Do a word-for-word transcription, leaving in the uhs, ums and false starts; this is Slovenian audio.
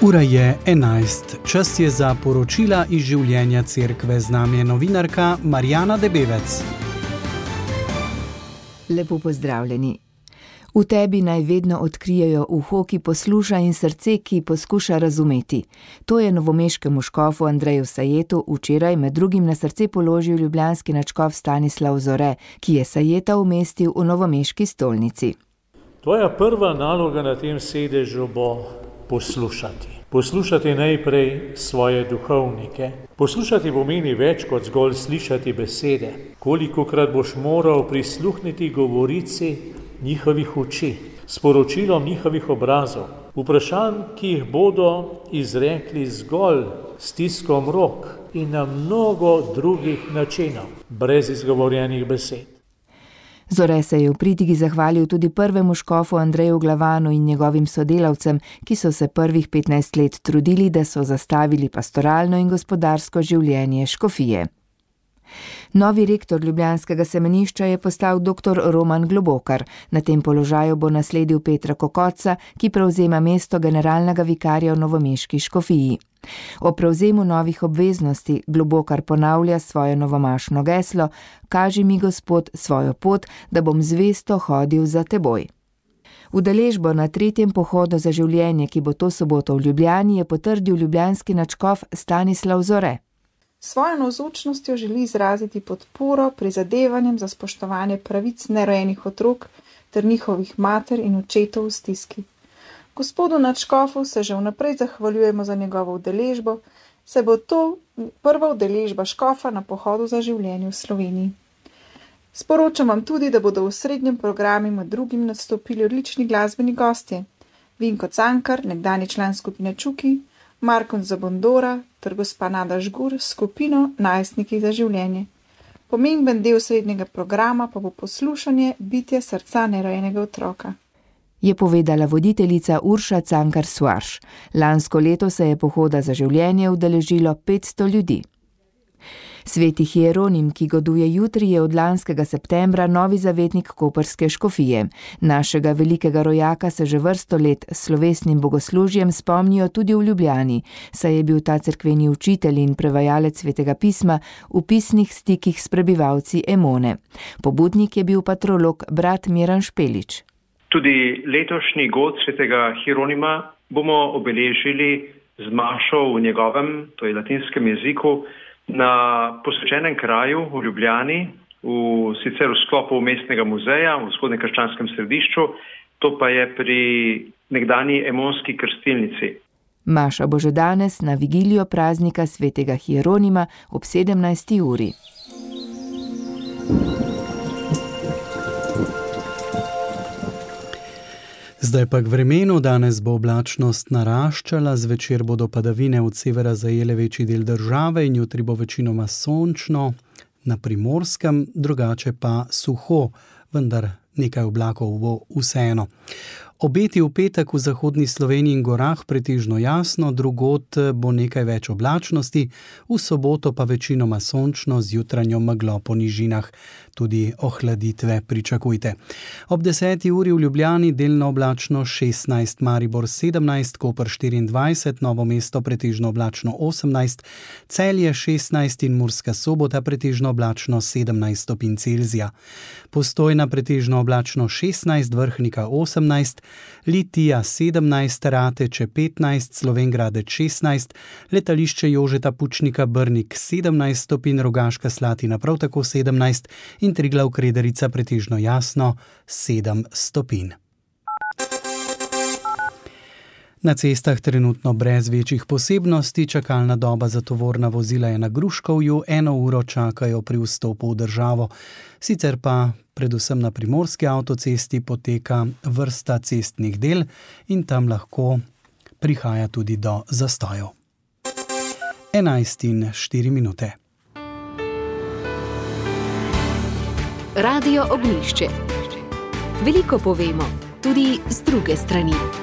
Ura je enajst. Čas je za poročila iz življenja cerkve. Z nami je novinarka Marjana Debevec. Lepo pozdravljeni. V tebi naj vedno odkrijejo uho, ki posluša, in srce, ki poskuša razumeti. To je novomeškemu škofu Andreju Sajetu včeraj med drugim na srce položil ljubljanski nadškof Stanislav Zore, ki je Sajeta umestil v novomeški stolnici. Tvoja prva naloga na tem sedežu bo poslušati. Poslušati najprej svoje duhovnike. Poslušati pomeni več kot zgolj slišati besede. Kolikokrat boš moral prisluhniti govorici njihovih oči, sporočilom njihovih obrazov, vprašanj, ki jih bodo izrekli zgolj stiskom rok in na mnogo drugih načinov, brez izgovorjenih besed. Zore se je v pridigi zahvalil tudi prvemu škofu Andreju Glavanu in njegovim sodelavcem, ki so se prvih petnajst let trudili, da so zastavili pastoralno in gospodarsko življenje škofije. Novi rektor ljubljanskega semenišča je postal doktor Roman Globokar. Na tem položaju bo nasledil Petra Kokotca, ki prevzema mesto generalnega vikarja v novomeški škofiji. O prevzemu novih obveznosti Globokar ponavlja svoje novomašno geslo: Kaži mi, Gospod, svojo pot, da bom zvesto hodil za teboj. Udeležbo na tretjem pohodu za življenje, ki bo to soboto v Ljubljani, je potrdil ljubljanski nadškof Stanislav Zore. Svojo navzočnostjo želi izraziti podporo prizadevanjem za spoštovanje pravic nerojenih otrok ter njihovih mater in očetov v stiski. Gospodu nadškofu se že vnaprej zahvaljujemo za njegovo udeležbo, saj bo to prva udeležba škofa na pohodu za življenje v Sloveniji. Sporočam vam tudi, da bodo v srednjem programu med drugim nastopili odlični glasbeni gostje: Vinko Cankar, nekdanji član skupine Čuki, Markon Zabondora ter gospa Nada Žgur s skupino Najstniki za življenje. Pomemben del srednjega programa pa bo poslušanje bitja srca nerojenega otroka, je povedala voditeljica Urša Cankar-Suarš. Lansko leto se je pohoda za življenje udeležilo petsto ljudi. Sveti Hieronim, ki goduje jutri, je od lanskega septembra novi zavetnik koprske škofije. Našega velikega rojaka se že vrsto let s slovesnim bogoslužjem spomnijo tudi v Ljubljani, saj je bil ta cerkveni učitelj in prevajalec svetega pisma v pisnih stikih s prebivalci Emone. Pobudnik je bil patrolog brat Miran Špelič. Tudi letošnji god svetega Hieronima bomo obeležili z mašo v njegovem, to je latinskem jeziku, na posvečenem kraju v Ljubljani, v, sicer v sklopu mestnega muzeja v vzhodnem krščanskem središču, to pa je pri nekdanji emonski krstilnici. Maša bo že danes na vigilijo praznika svetega Hieronima ob sedemnajsti uri. Zdaj pa k vremenu. Danes bo oblačnost naraščala, zvečer bodo padavine od severa zajele večji del države in jutri bo večinoma sončno, na Primorskem, drugače pa suho, vendar nekaj oblakov bo vseeno. Obeti v petek v zahodni Sloveniji in gorah pretežno jasno, drugod bo nekaj več oblačnosti, v soboto pa večinoma sončno z jutranjo meglo po nižinah. Tudi ohladitve pričakujte. Ob deseti uri v Ljubljani delno oblačno šestnajst, Maribor sedemnajst, Koper štiriindvajset, Novo mesto pretežno oblačno osemnajst, Celje šestnajst in Murska Sobota pretežno oblačno sedemnajst stopinj Celzija. Postojna pretežno oblačno šestnajst, Vrhnika osemnajst, Litija sedemnajst, Rateče petnajst, Slovenj Gradec šestnajst, letališče Jožeta Pučnika Brnik sedemnajst stopinj, Rogaška Slatina prav tako sedemnajst in Triglav Krederica pretežno jasno sedem stopinj. Na cestah trenutno brez večjih posebnosti, čakalna doba za tovorna vozila je na Gruškovju, eno uro čakajo pri vstopu v državo. Sicer pa predvsem na primorski avtocesti poteka vrsta cestnih del in tam lahko prihaja tudi do zastojev. enajst in štiri minute. Radio Ognjišče. Veliko povemo, tudi z druge strani.